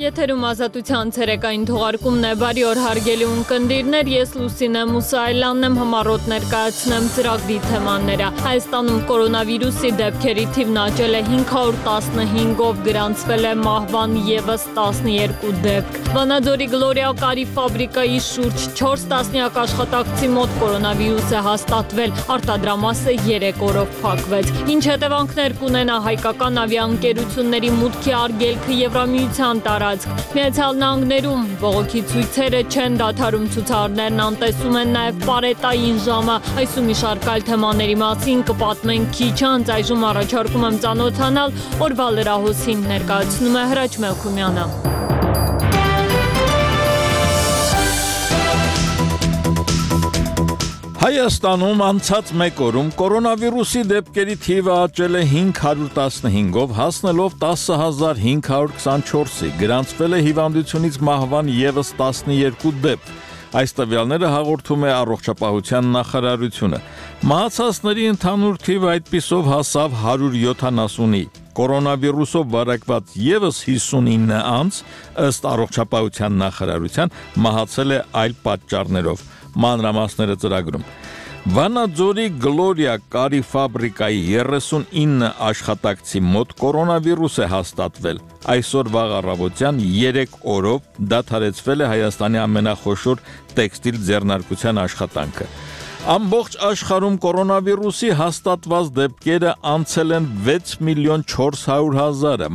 Եթերում ազատության ցերեկային թողարկումն է, բարի օր հարգելի ունկնդիրներ, ես Լուսինե Մուսայելյանն եմ, համառոտ ներկայացնեմ ծրագրի թեմաները։ Հայաստանում կորոնավիրուսի դեպքերի թիվն աճել է 515-ով, գրանցվել է մահվան ևս 12 դեպք։ Վանաձորի Գլորիա կարի ֆաբրիկայի շուրջ 4 տասնյակ աշխատակցի մոտ կորոնավիրուս է հաստատվել, արտադրամասը 3 օրով փակվեց։ Ինչ հետևանքներ կունենա հայկական ավիաընկերությունների մուտքի արգելքը Եվրամիության տարածք։ Միացյալ Նահանգներում բողոքի ցույցերը չեն դադարում, ցուցարարներն անտեսում են նաև պարետային ժամը։ Այս ու մի շարք այլ թեմաների մասին կպատմենք քիչ անց, այժմ առաջարկում եմ ծանոթանալ օրվա լրահոսին, ներկայացնում է Հրաչ Մելքումյանը։ Հայաստանում անցած մեկ օրում կորոնավիրուսի դեպքերի թիվը աճել է 515-ով, հասնելով 10,524-ի, գրանցվել է հիվանդությունից մահվան ևս 12 դեպք։ Այս տվյալները հաղորդում է Առողջապահության նախարարությունը։ Մահացածների ընդհանուր թիվը այդպիսով հասավ 170-ի։ Կորոնավիրուսով վարակված ևս 59 անձ, ըստ Առողջապահության նախարարության, մահացել է այլ պատճառներով։ Մանրամասները ծրագրում։ Վանաձորի Գլորիա կարի ֆաբրիկայի 39 աշխատակցի մոտ կորոնավիրուս է հաստատվել։ Այսօր վաղ առավոտյան 3 օրով դադարեցվել է Հայաստանի ամենախոշոր տեքստիլ ձեռնարկության աշխատանքը։ Ամբողջ աշխարհում կորոնավիրուսի հաստատված դեպքերը անցել են 6,4 միլիոն,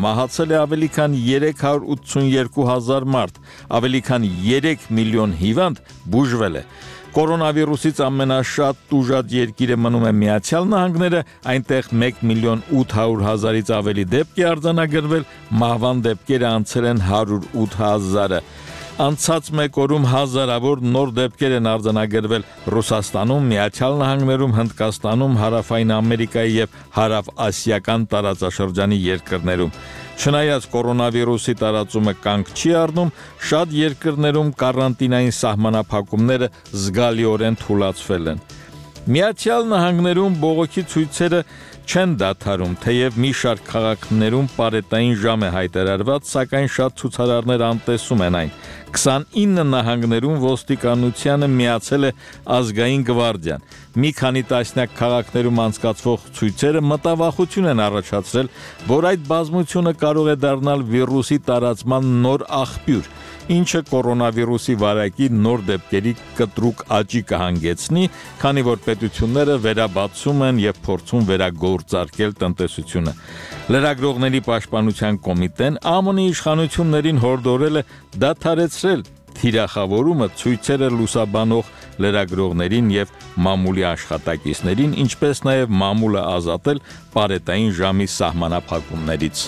մահացել է ավելի քան 382,000 մարդ, ավելի քան 3 միլիոն հիվանդ բուժվել է։ Կորոնավիրուսից ամենաշատ տուժած երկիրը մնում է Միացյալ Նահանգները, այնտեղ 1,8 միլիոն ավելի դեպք է արձանագրվել, մահվան դեպքերը անցել են 108,000-ը։ Անցած մեկ օրում հազարավոր նոր դեպքեր են արձանագրվել Ռուսաստանում, Միացյալ Նահանգներում, Հնդկաստանում, Հարավային Ամերիկայի եւ Հարավասիական տարածաշրջանի երկրներում։ Չնայած կորոնավիրուսի տարածումը կանգ չի առնում, շատ երկրներում կարանտինային սահմանափակումները զգալիորեն թուլացվել են։ Միացյալ Նահանգներում բողոքի ցույցերը չեն դադարում, թեև մի շարք քաղաքներում պարետային ժամ է հայտարարված, սակայն շատ ցուցարարներ անտեսում են այն։ 29 նահանգներում ոստիկանությանը միացել է ազգային գվարդիան։ Մի քանի տասնյակ քաղաքներում անցկացվող ցույցերը մտավախություն են առաջացրել, որ այդ բազմությունը կարող է դառնալ վիրուսի տարածման նոր աղբյուր, ինչը կորոնավիրուսի վարակի նոր դեպքերի կտրուկ աճի կհանգեցնի, քանի որ պետությունները վերաբացում են եւ փորձում վերագործարկել տնտեսությունը։ Լրագրողների պաշտպանության կոմիտեն ԱՄՆ-ի իշխանություններին հորդորել է դադարեցրել թիրախավորումը, ցույցերը լուսաբանող լրագրողներին եւ մամուլի աշխատակիցներին, ինչպես նաեւ մամուլը ազատել պարետային ժամի սահմանափակումներից։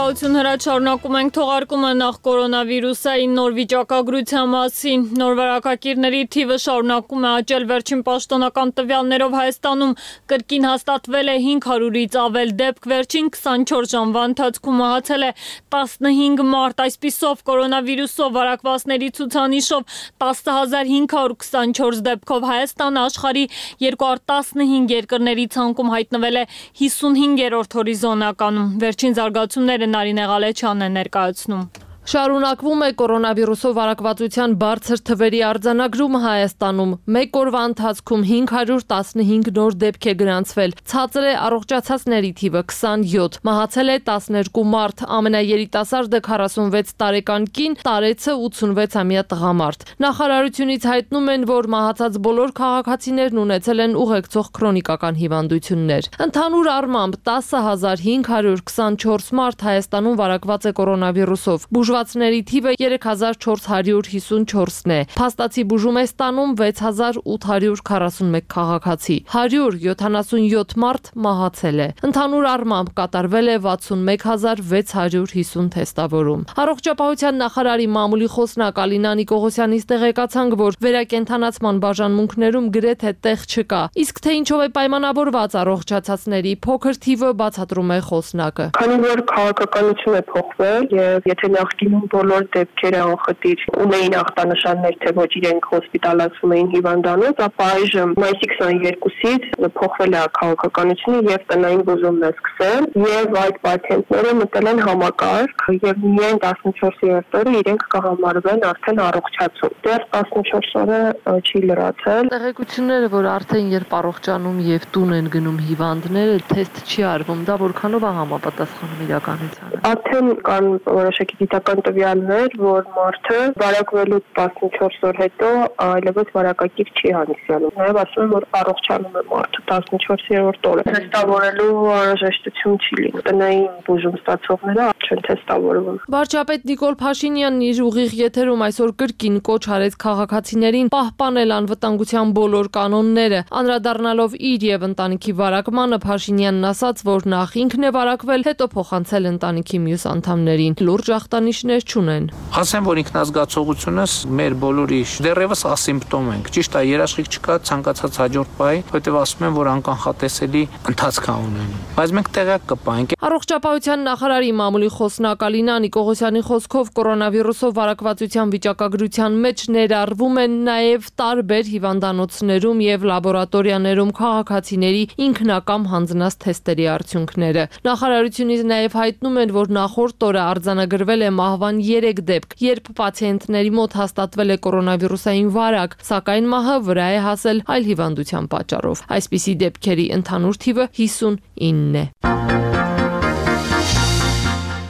Շնորհակալություն Հրաչ, շարունակում ենք թողարկումը նախ կորոնավիրուսային նոր վիճակագրության մասին։ Նոր վարակակիրների թիվը շարունակում է աճել, վերջին պաշտոնական տվյալներով Հայաստանում կրկին հաստատվել է 500-ից ավել դեպք, վերջին 24 ժամվա ընթացքում մահացել է 15 մարդ, այսպիսով կորոնավիրուսով վարակվածների ցուցանիշով 10,524 դեպքով Հայաստանը աշխարհի 215 երկրների ցանկում հայտնվել է 55-րդ հորիզոնականում։ Վերջին զարգացումները Նարինե Ղալեչյանն է ներկայացնում։ Շարունակվում է կորոնավիրուսով վարակվածության բարձր թվերի արձանագրումը Հայաստանում։ Մեկ օրվա ընթացքում 515 նոր դեպք է գրանցվել։ Ցածր է առողջացածների թիվը 27, մահացել է 12 մարդ, ամենաերիտասարդը 46 տարեկան կին, տարեցը 86-ամյա տղամարդ։ Նախարարությունից հայտնում են, որ մահացած բոլոր քաղաքացիներն ունեցել են ուղեկցող քրոնիկական հիվանդություններ։ Ընդհանուր առմամբ 10,524 մարդ Հայաստանում վարակված է կորոնավիրուսով։ Բուժվածների թիվը 3454-ն է։ Փաստացի բուժում է ստանում 6841 քաղաքացի։ 177 մարդ մահացել է։ Ընդհանուր առմամբ կատարվել է 61650 թեստավորում։ Առողջապահության նախարարի մամուլի խոսնակ Ալինա Նիկողոսյանից տեղեկացանք, որ վերակենդանացման բաժանմունքներում գրեթե տեղ չկա։ Իսկ թե ինչով է պայմանավորված առողջացածների փոքր թիվը, բացատրում է խոսնակը։ Քանի որ քաղաքականություն է փոխվել եւ եթե նախկինում բոլոր դեպքերը անխտիր ունեին ախտանշաններ, թե ոչ իրենք հոսպիտալացվում էին հիվանդանոց, ապա այժմ մայիսի 22-ից փոխվել է քաղաքականությունը եւ տնային բուժումն է սկսել եւ այդ պացիենտները մտել են համակարգ եւ միայն 14-րդ օրը իրենք կհամարվեն արդեն առողջացում։ Դեռ 14 օրը չի լրացել։ Տեղեկությունները, որ արդեն երբ առողջանում եւ տուն են գնում հիվանդները, թեստ չի արվում, դա որքանով է համապատասխանում իրականությանը։ Արդեն կան որոշակի գիտական տվյալներ, որ մարդը վարակվելուց 14 օր հետո այլևս վարակակիր չի հանդիսանում։ Նաեւ ասում են, որ առողջանում է մարդը 14-րդ օրը։ Թեստավորելու անհրաժեշտություն չի լինում։ Տնային բուժում ստացողները չեն թեստավորվում։ Վարչապետ Նիկոլ Փաշինյանն իր ուղիղ եթերում այսօր կրկին կոչ արեց քաղաքացիներին պահպանել անվտանգության բոլոր կանոնները։ Անդրադառնալով իր եւ ընտանիքի վարակմանը, Փաշինյանն ասաց, որ նախ ինքն է վարակվել, հետո փոխանցել ընտանիքի մյուս անդամներին։ Լուրջ ախտանիշներ չունեն։ Ասեմ, որ ինքնազգացողությունս մեր բոլորի դեռևս ասիմպտոմ ենք։ Ճիշտ է, երաշխիք չկա ցանկացած հաջորդ բայի, որտեղ ասում են, որ անկանխատեսելի ընթացք ունեն։ Բայց մենք տեղյակ կպահենք։ Առողջապահության նախարարի մամուլի խոսնակ Ալինա Նիկողոսյանի խոսքով կորոնավիրուսով վարակվածության վիճակագրության մեջ ներառվում են նաև տարբեր հիվանդանոցներում եւ լաբորատորիաներում քաղաքացիների ինքնակամ հանձնած թեստերի արդյունքները։ Նախարարությունից նաև հայտնում են, որ նախորդ օրը արձանագրվել է մահվան 3 դեպք, երբ պացիենտների մոտ հաստատվել է կորոնավիրուսային վարակ, սակայն մահը վրա է հասել այլ հիվանդության պատճառով։ Այսպիսի դեպքերի ընդհանուր թիվը 59 է։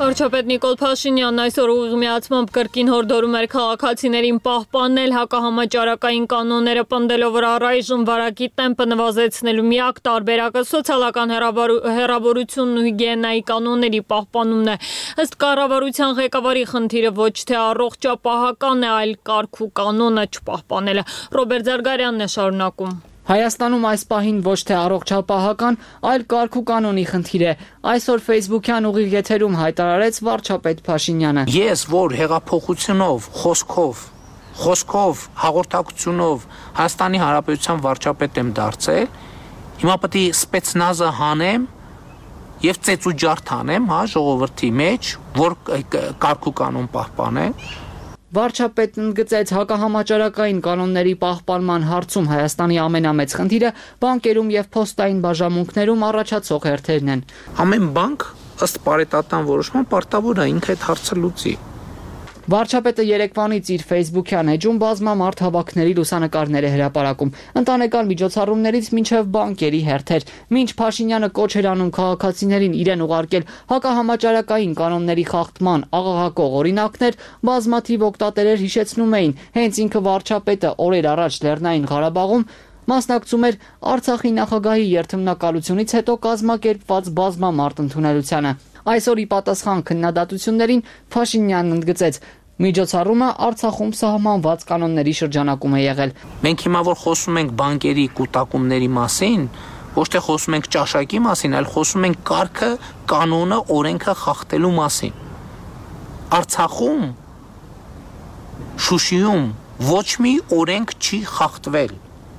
Վարչապետ Նիկոլ Փաշինյանն այսօր ուղղմիացմամբ կրկին հորդորում էր քաղաքացիներին պահպանել հակահամաճարակային կանոնները, պնդելով, որ առայժմ վարակի տեմպը նվազեցնելու միակ տարբերակը սոցիալական հեռավորությունն ու հիգիենայի կանոնների պահպանումն է։ Ըստ կառավարության ղեկավարի խնդիրը ոչ թե առողջապահական է, այլ կարգ ու կանոնը չպահպանելը։ Ռոբերտ Զարգարյանն է շարունակում։ Հայաստանում այս պահին ոչ թե առողջապահական, այլ կարգ ու կանոնի խնդիր է։ Այսօր Facebook-յան ուղիղ եթերում հայտարարեց վարչապետ Փաշինյանը։ Ես որ հեղափոխությունով, խոսքով, հաղորդակցությունով Հայաստանի Հանրապետության վարչապետ եմ դարձել, հիմա պետք է սպեցնազը հանեմ եւ ծեծուջարդ անեմ, ժողովրդի մեջ, որ կարգ ու կանոն պահպանեն։ Վարչապետն ընդգծեց հակահամաճարակային կանոնների պահպանման հարցում Հայաստանի ամենամեծ խնդիրը բանկերում եւ փոստային բաժանմունքներում առաջացող հերթերն են։ Ամեն բանկ ըստ պարետատան որոշման պարտավոր է ինքը այդ հարցը լուծի։ Վարչապետը երեկվանից իր Facebook-յան էջում բազմամարդ հավաքների լուսանկարներ է հրապարակում, ընտանեկան միջոցառումներից մինչև բանկերի հերթեր։ Մինչ Փաշինյանը կոչ էր անում քաղաքացիներին իրեն ուղարկել հակահամաճարակային կանոնների խախտման աղաղակող օրինակներ, բազմաթիվ օգտատերեր հիշեցնում էին, հենց ինքը վարչապետը օրեր առաջ Լեռնային Ղարաբաղում մասնակցում էր Արցախի նախագահի երթմնակալությունից հետո կազմակերպված բազմամարդ ընդունելությանը։ Այսօր ի պատասխան քննադատություններին Փաշինյանն ընդգծեց. միջոցառումը Արցախում սահմանված կանոնների շրջանակում է եղել։ Մենք հիմա որ խոսում ենք բանկերի կուտակումների մասին, ոչ թե խոսում ենք ճաշակի մասին, այլ խոսում ենք կարգը, կանոնը, օրենքը խախտելու մասին։ Արցախում, Շուշիում ոչ մի օրենք չի խախտվել։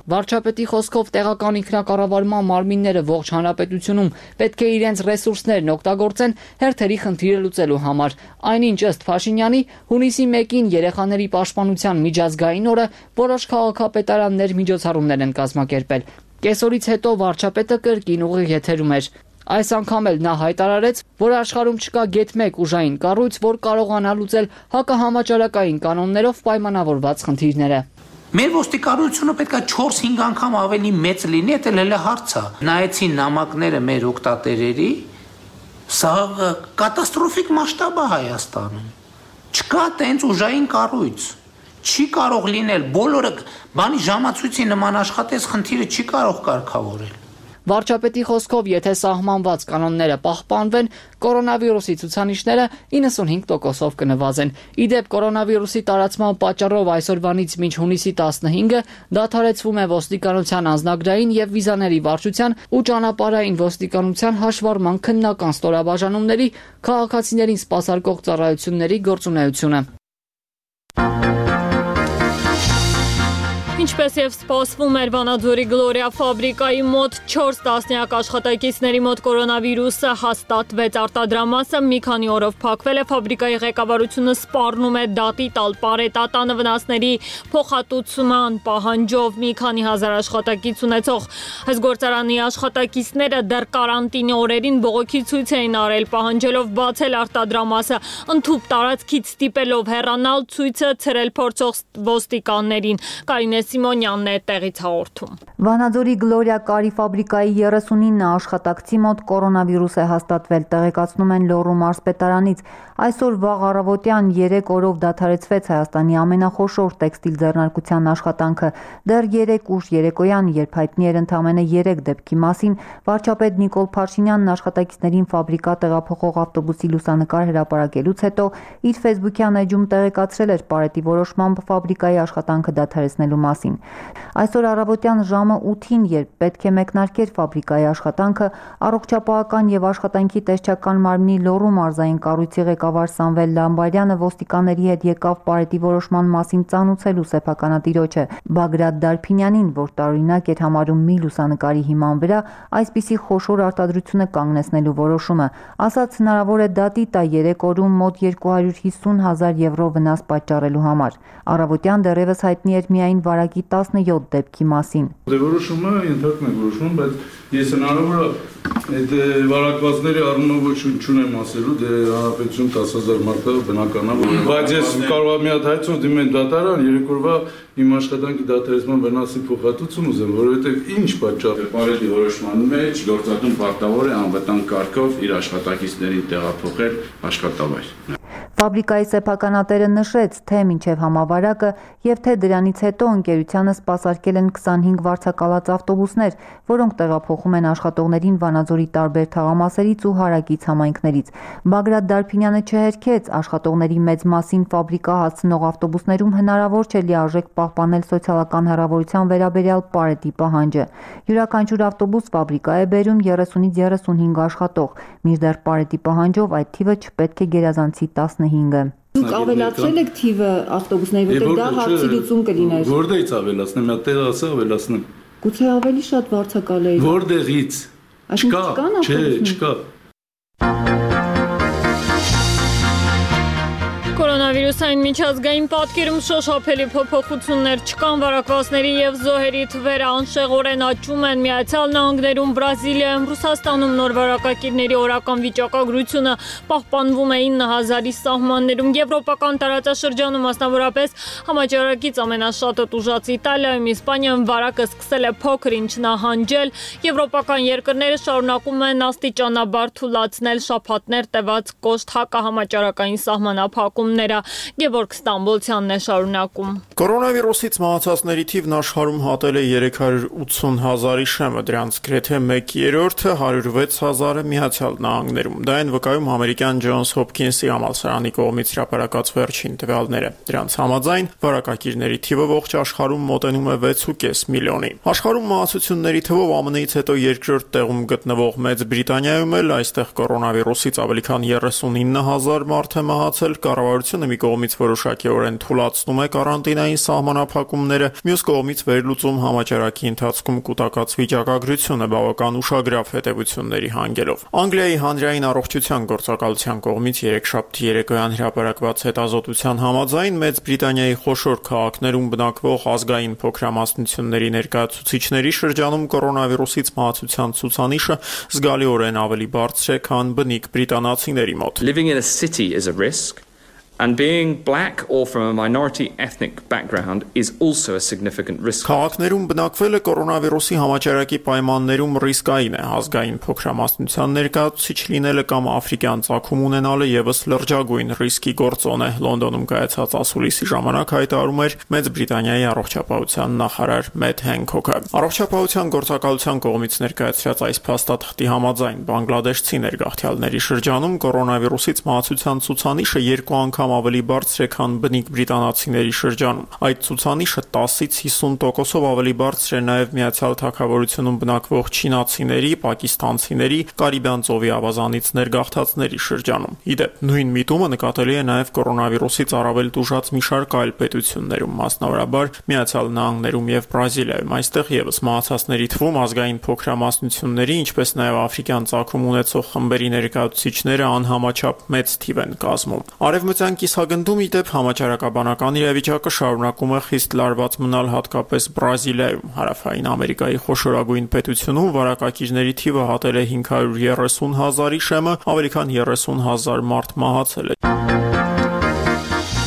Վարչապետի խոսքով տեղական ինքնակառավարման մարմինները ողջ հանրապետությունում պետք է իրենց ռեսուրսներն օգտագործեն հերթերի խնդիրը լուծելու համար։ Այնինչ ըստ Փաշինյանի հունիսի 1-ին երեխաների պաշտպանության միջազգային օրը որոշ քաղաքապետարաններ միջոցառումներ են կազմակերպել։ Կեսօրից հետո վարչապետը կրկին ուղիղ եթերում էր։ Այս անգամ էլ նա հայտարարեց, որ աշխարհում չկա գեթ մեկ ուժային կառույց, որ կարողանա լուծել հակահամաճարակային կանոններով պայմանավորված խնդիրները։ Մեր ոստիկանությունը պետք է 4-5 անգամ ավելի մեծ լինի, դա էլ է հարցը։ Նայեցին նամակները մեր օգտատերերի, սա կատաստրոֆիկ մասշտաբ է Հայաստանում։ Չկա տենց ուժային կառույց։ Չի կարող լինել բոլորը բանի ժամացույցի նման աշխատես խնդիրը չի կարող կարգավորել։ Վարչապետի խոսքով, եթե սահմանված կանոնները պահպանվեն, կորոնավիրուսի ցուցանիշները 95%-ով կնվազեն։ Ի դեպ, կորոնավիրուսի տարածման պատճառով այսօրվանից մինչ հունիսի 15-ը դադարեցվում է ոստիկանության անձնագրային եւ վիզաների վարչության ու ճանապարհային ոստիկանության հաշվառման քննական ստորաբաժանումների քաղաքացիներին սպասարկող ծառայությունների գործունեությունը։ Ինչպես եւ սպասվում էր, Վանաձորի Գլորիա ֆաբրիկայի մոտ 4 տասնյակ աշխատակիցների մոտ կորոնավիրուսը հաստատվեց։ Արտադրամասը մի քանի օրով փակվել է։ Ֆաբրիկայի ղեկավարությունը սպառնում է դատի տալ պարետատանը վնասների փոխհատուցման պահանջով մի քանի հազար աշխատակից ունեցող այս գործարանի աշխատակիցները դեռ կարանտինի օրերին բողոքի ցույց էին արել, պահանջելով բացել արտադրամասը, ընդհուպ տարածքից ստիպելով հեռանալ, ցույցը ցրել փորձող ոստիկաններին։ Կարինե Սիմոնյանն է տեղից հաղորդում։ Վանաձորի Գլորիա կարի ֆաբրիկայի 39 աշխատակցի մոտ կորոնավիրուս է հաստատվել, տեղեկացնում են Լոռու մարզպետարանից։ Այսօր վաղ առավոտյան 3 օրով դադարեցվեց Հայաստանի ամենախոշոր տեքստիլ ձեռնարկության աշխատանքը։ Դեռ 3 ուշ երեկոյան, երբ հայտնի էր ընդամենը 3 դեպքի մասին, վարչապետ Նիկոլ Փաշինյանն աշխատակիցներին ֆաբրիկա տեղափոխող ավտոբուսի լուսանկար հրապարակելուց հետո իր ֆեյսբուքյան էջում տեղեկացրել էր պարետի որոշմամբ ֆաբրիկայի աշխատանքը դադարեցնելու մասին։ Այսօր առավոտյան ժամը 8-ին, երբ պետք է մեկնարկեր ֆաբրիկայի աշխատանքը, առողջապահական եւ աշխատանքի տեսչական մարմնի Լոռու մարզային կառույցի ղեկավար Սամվել Լամբարյանը ոստիկանների հետ եկավ պարետի որոշման մասին ծանուցելու սեփականատիրոջը Բագրատ Դարփինյանին, որ տարօրինակ էր համարում մի լուսանկարի հիման վրա այսպիսի խոշոր արտադրությունը կանգնեցնելու որոշումը, ասաց հնարավոր է դատի տա 3 օրում մոտ 250,000 եվրո վնաս պատճառելու համար։ Առավոտյան դեռևս հայտնի էր միայն վարակի 17 դեպքի մասին։ Որոշումը ենթարկում է որոշում, բայց ես հնարավոր է այդ վարակվածների առումով ոչինչ չունեմ ասելու, դե հանրապետություն 10,000 մարդը բնական է, բայց ես կարող եմ մի հատ հայցով դիմեմ դատարան, 3 օրվա իմ աշխատանքի դադարեցման վնասի փոխհատուցում ուզեմ, որովհետև ինչ պատճառ է։ Պարետի որոշման մեջ գործատուն պարտավոր է անվտանգ կարգով իր աշխատակիցներին տեղափոխել աշխատավայր։ Ֆաբրիկայի սեփականատերը նշեց, թե մինչև համավարակը եւ թե դրանից հետո ընկերությանը սպասարկել են 25 վարձակալած ավտոբուսներ, որոնք տեղափոխում են աշխատողներին Վանաձորի տարբեր թաղամասերից ու հարակից համայնքներից։ Բագրատ Դարփինյանը չհերքեց, աշխատողների մեծ մասին ֆաբրիկա հասցնող ավտոբուսներում հնարավոր չէ լիարժեք պահպանել սոցիալական հեռավորության վերաբերյալ պարետի պահանջը։ Յուրաքանչյուր ավտոբուս ֆաբրիկա է բերում 30-ից 35 աշխատող, մինչդեռ պարետի պահանջով այդ թիվը չպետք է գերազանցի 15-ը։ Դուք ավելացրել եք թիվը ավտոբուսների, որտեղ դա հարցի լուծում կլիներ։ Որտեղից ավելացնեմ, մի տեղ ասա ավելացնեմ։ Գուցե ավելի շատ վարձակալեի։ Որտեղից։ Չկա, չէ, չկա։ Կորոնավիրուսային միջազգային պատկերում շոշափելի փոփոխություններ չկան, վարակվածների եւ զոհերի թվերը անշեղորեն աճում են։ Միացյալ Նահանգներում, Բրազիլիայում, Ռուսաստանում նոր վարակակիրների օրական վիճակագրությունը պահպանվում է 9,000-ի սահմաններում։ Եվրոպական տարածաշրջանում, մասնավորապես համաճարակից ամենաշատը տուժած Իտալիայում, Իսպանիայում վարակը սկսել է փոքր-ինչ նահանջել։ Եվրոպական երկրները շարունակում են աստիճանաբար թուլացնել շաբաթներ տևած կոշտ հակահամաճարակային սահմանափակում։ Գևորգ Ստամբոլցյանն է շարունակում։ Կորոնավիրուսից մահացածների թիվն աշխարհում հատել է 380,000-ի շեմը, դրանց գրեթե 1/3-ը 106,000-ը Միացյալ Նահանգներում։ Դա են վկայում ամերիկյան Ջոնս Հոփքինսի համալսարանի կողմից հրապարակած վերջին տվյալները։ Դրանց համաձայն վարակակիրների թիվը ողջ աշխարհում մոտենում է 6.5 միլիոնի։ Աշխարհում մահացությունների թվով ԱՄՆ-ից հետո երկրորդ տեղում գտնվող Մեծ Բրիտանիայում էլ այստեղ կորոնավիրուսից ավելի քան 39,000 մարդ է մահացել։ Կառավարությունը մի կողմից որոշակիորեն թուլացնում է կարանտինային սահմանափակումները, մյուս կողմից վերլուծում համաճարակի ընթացքում կուտակած վիճակագրությունը բավական ուշագրավ հետևությունների հանգելով։ Անգլիայի հանրային առողջության գործակալության կողմից երեքշաբթի երեկոյան հրապարակված հետազոտության համաձայն Մեծ Բրիտանիայի խոշոր քաղաքներում բնակվող ազգային փոքրամասնությունների ներկայացուցիչների շրջանում կորոնավիրուսից մահացության ցուցանիշը զգալիորեն ավելի բարձր է, քան բնիկ բրիտանացիների մոտ։ Living in a city is a risk. And being black or from a minority ethnic background is also a significant risk. Քաղաքներում բնակվելը կորոնավիրուսի համաճարակի պայմաններում ռիսկային է, ազգային փոքրամասնության ներկայացուցիչ լինելը կամ աֆրիկյան ծագում ունենալը եւս լրջագույն ռիսկի գործոն է։ Լոնդոնում կայացած ասուլիսի ժամանակ հայտարարում էր Մեծ Բրիտանիայի առողջապահության նախարար Մեթ Հենքոքը։ Առողջապահության գործակալության կողմից ներկայացրած այս փաստաթղթի համաձայն բանգլադեշցի ներգաղթյալների շրջանում կորոնավիրուսից մահացության ցուցանիշը 2 անգամ ավելի բարձր է, քան բնիկ բրիտանացիների շրջանում։ Այդ ցուցանիշը 10-ից 50%-ով ավելի բարձր է նաև Միացյալ Թագավորությունում բնակվող չինացիների, պակիստանցիների, Կարիբյան ծովի ավազանից ներգաղթածների շրջանում։ Իդեպ, նույն միտումը նկատելի է նաև կորոնավիրուսից առավել տուժած մի շարք այլ պետություններում, մասնավորաբար Միացյալ Նահանգներում եւ Բրազիլիայում։ Այստեղ եւս մահացածների թվում ազգային փոքրամասնությունների, ինչպես նաև աֆրիկյան ծագում ունեցող խմբերի ներկայացուցիչները անհամաչափ մեծ թիվ են կազմում։ Արևմտյան կիսագնդում իդեպ համաճարակաբանական իրավիճակը շարունակում է խիստ լարված մնալ հատկապես Բրազիլիայում։ Հարավային Ամերիկայի խոշորագույն պետությունում վարակակիրների թիվը հատել է 530,000-ի շեմը, ավելի քան 30,000 մարդ մահացել է։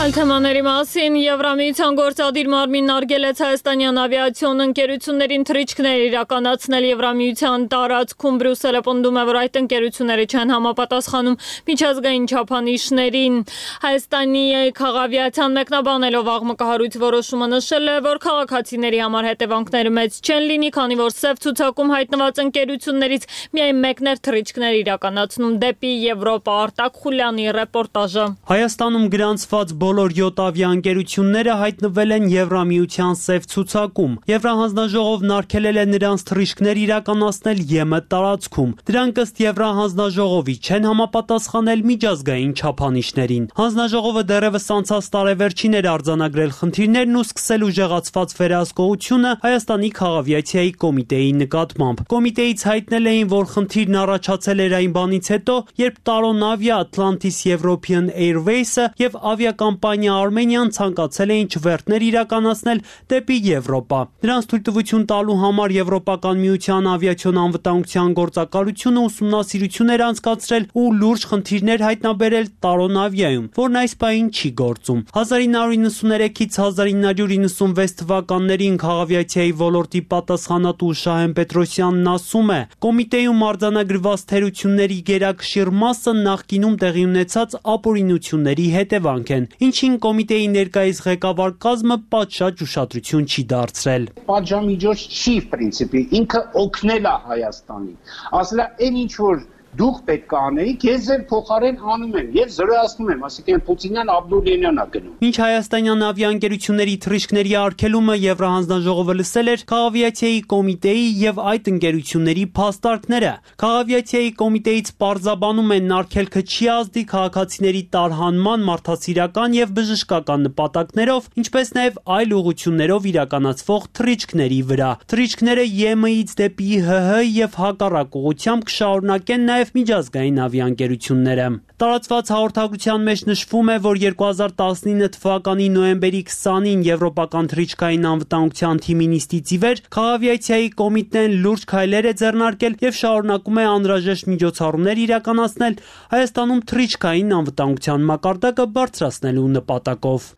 Թեմաների մասին Եվրամիության գործադիր մարմինն արգելեց հայաստանյան ավիացիոն ընկերություններին թռիչքներ իրականացնել Եվրամիության տարածքում։ Բրյուսելը պնդում է, որ այդ ընկերությունները չեն համապատասխանում միջազգային չափանիշներին։ Հայաստանի քաղաքավիացիան մեկնաբանելով աղմկահարույց որոշումը նշել է, որ քաղաքացիների համար հետևանքները մեծ չեն լինի, քանի որ սև ցուցակում հայտնված ընկերություններից միայն մեկն էր թռիչքներ իրականացնում դեպի Եվրոպա։ Արտակ Խուլյանի ռեպորտաժը։ Հայաստանում գրանցված բոլոր 7 ավիաընկերությունները հայտնվել են Եվրամիության սև ցուցակում։ Եվրահանձնաժողովն արգելել է նրանց թռիչքներ իրականացնել ԵՄ տարածքում։ Դրանք ըստ Եվրահանձնաժողովի չեն համապատասխանել միջազգային չափանիշներին։ Հանձնաժողովը դեռևս անցած տարեվերջին էր արձանագրել խնդիրներն ու սկսել ուժեղացված վերահսկողությունը Հայաստանի քաղաքավիացիայի կոմիտեի նկատմամբ։ Կոմիտեից հայտնել էին, որ խնդիրն առաջացել էր այն բանից հետո, երբ Տարոնավիա, Atlantis European Airways-ը եւ ավիակամպանիա Armenian ցանկացել էին չվերթներ իրականացնել դեպի Եվրոպա։ Դրանց թույլտվություն տալու համար Եվրոպական միության ավիացիոն անվտանգության գործակալությունը ուսումնասիրություն էր անցկացրել ու լուրջ խնդիրներ հայտնաբերել Տարոնավիայում, որն այս պահին չի գործում։ 1993-ից 1996 թվականներին քաղաքավիացիայի ոլորտի պատասխանատու Շահեն Պետրոսյանն ասում է. կոմիտեում արձանագրված թերությունների գերակշիռ մասը նախկինում տեղի ունեցած ապօրինությունների հետևանք են, ինչին կոմիտեի ներկայիս ղեկավար կազմը պատշաճ ուշադրություն չի դարձրել։ Պատժամիջոց չի պրինցիպի, ինքը օգնել է Հայաստանին։ Ասել է, այն ինչ որ դուք պետք է անեիք, ես ձեր փոխարեն անում եմ եւ զրոյացնում եմ, ասիկան Պուտինյան Աբդուլյանն է գնում։ Մինչ հայաստանյան ավիաընկերությունների թռիչքների արգելումը Եվրահանձնաժողովը լսել էր քաղաքավիացիայի կոմիտեի եւ այդ ընկերությունների փաստարկները։ Քաղաքավիացիայի կոմիտեից պարզաբանում են արգելքը չի ազդի քաղաքացիների տարհանման, մարդասիրական եւ բժշկական նպատակներով, ինչպես նաեւ այլ ուղղություններով իրականացվող թռիչքների վրա։ Թռիչքները ԵՄ-ից դեպի ՀՀ եւ հակառակ ուղղությամբ կշարունակեն նաեւ միջազգային ավիաընկերությունները։ Տարածված հաղորդագրության մեջ նշվում է, որ 2019 թվականի նոյեմբերի 20-ին Եվրոպական թռիչքային անվտանգության թիմի նիստից ի վեր քաղաքավիացիայի կոմիտեն լուրջ քայլեր է ձեռնարկել եւ շարունակում է անհրաժեշտ միջոցառումներ իրականացնել Հայաստանում թռիչքային անվտանգության մակարդակը բարձրացնելու նպատակով։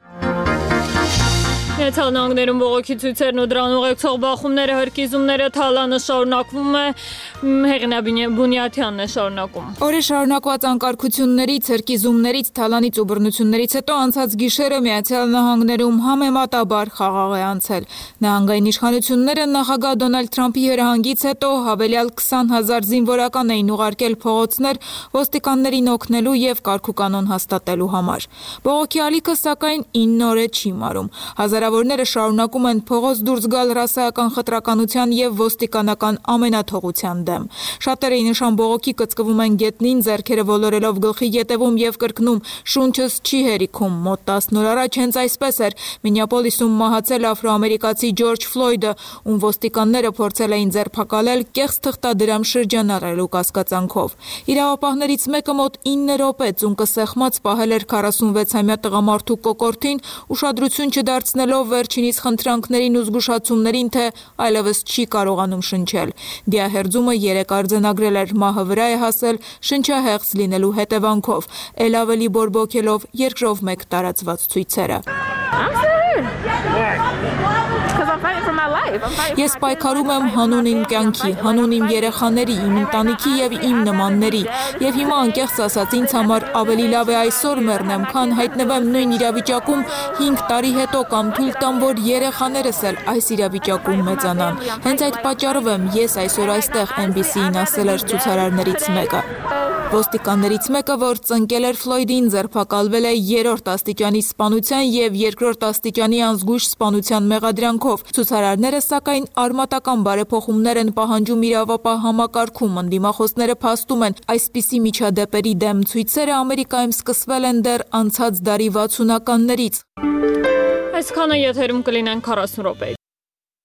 Միացյալ Նահանգներում բողոքի ցույցերն ու դրան ուղեկցող բախումները, հրկիզումները, թալանը շարունակվում է։ Հեղինե Բունյաթյանն է շարունակում։ Օրեր շարունակված անկարգություններից, հրկիզումներից, թալանից ու բռնություններից հետո անցած գիշերը Միացյալ Նահանգներում համեմատաբար խաղաղ է անցել։ Նահանգային իշխանությունները նախագահ Դոնալդ Թրամփի հրահանգից հետո հավելյալ 20,000 զինվորական էին ուղարկել փողոցներ ոստիկաններին օգնելու եւ կարգուկանոն հաստատելու համար։ Բողոքի ալիքը սակայն 9 օր չի մարում։ Հազարավորները շարունակում են փողոց դուրս գալ ռասայական խտրականության եւ ոստիկանական ամենաթողության դեմ։ Շատերը նշան բողոքի կծկվում են գետնին, ձեռքերը ոլորելով գլխի ետևում եւ կրկնում շունչս չի հերիքում։ Մոտ 10 օր առաջ հենց այսպես էր Մինեապոլիսում մահացել աֆրոամերիկացի Ջորջ Ֆլոյդը, ում ոստիկանները փորձել էին ձերբակալել կեղծ թղթադրամ շրջանառելու կասկածանքով։ Իրավապահներից մեկը մոտ 9 րոպե ծունկը սեղմած պահել էր 46-ամյա տղամարդու կոկորդին, ուշադրություն չդարձնելով պատճառով վերջինիս խնդրանքներին ու զգուշացումներին, թե այլևս չի կարողանում շնչել։ Դիահերձումը 3 արձանագրել էր, մահը վրա է հասել շնչահեղձ լինելու հետևանքով, ել ավելի բորբոքելով երկրով մեկ տարածված ցույցերը։ Ես պայքարում եմ հանուն իմ կյանքի, հանուն իմ երեխաների, իմ ընտանիքի եւ իմ նմանների, եւ հիմա անկեղծ ասած ինձ համար ավելի լավ է այսօր մեռնեմ, քան հայտնվեմ նույն իրավիճակում 5 տարի հետո կամ թույլ տամ, որ երեխաներս էլ այս իրավիճակում մեծանան։ Հենց այդ պատճառով եմ ես այսօր այստեղ NBC-ին ասել էր ցուցարարներից մեկը։ Ոստիկաններից մեկը, որ ծնկել էր Ֆլոյդին, ձերբակալվել է 3-րդ աստիճանի սպանության եւ 2-րդ աստիճանի անզգույշ սպանության մեղադրանքով։ Ցուցարարները սակայն արմատական բարեփոխումներ են պահանջում իրավապահ համակարգում։ Ընդդիմախոսները փաստում են, այսպիսի միջադեպերի դեմ ցույցերը Ամերիկայում սկսվել են դեռ անցած դարի 60-ականներից։ Այսքանը եթերում կլինեն 40 րոպե։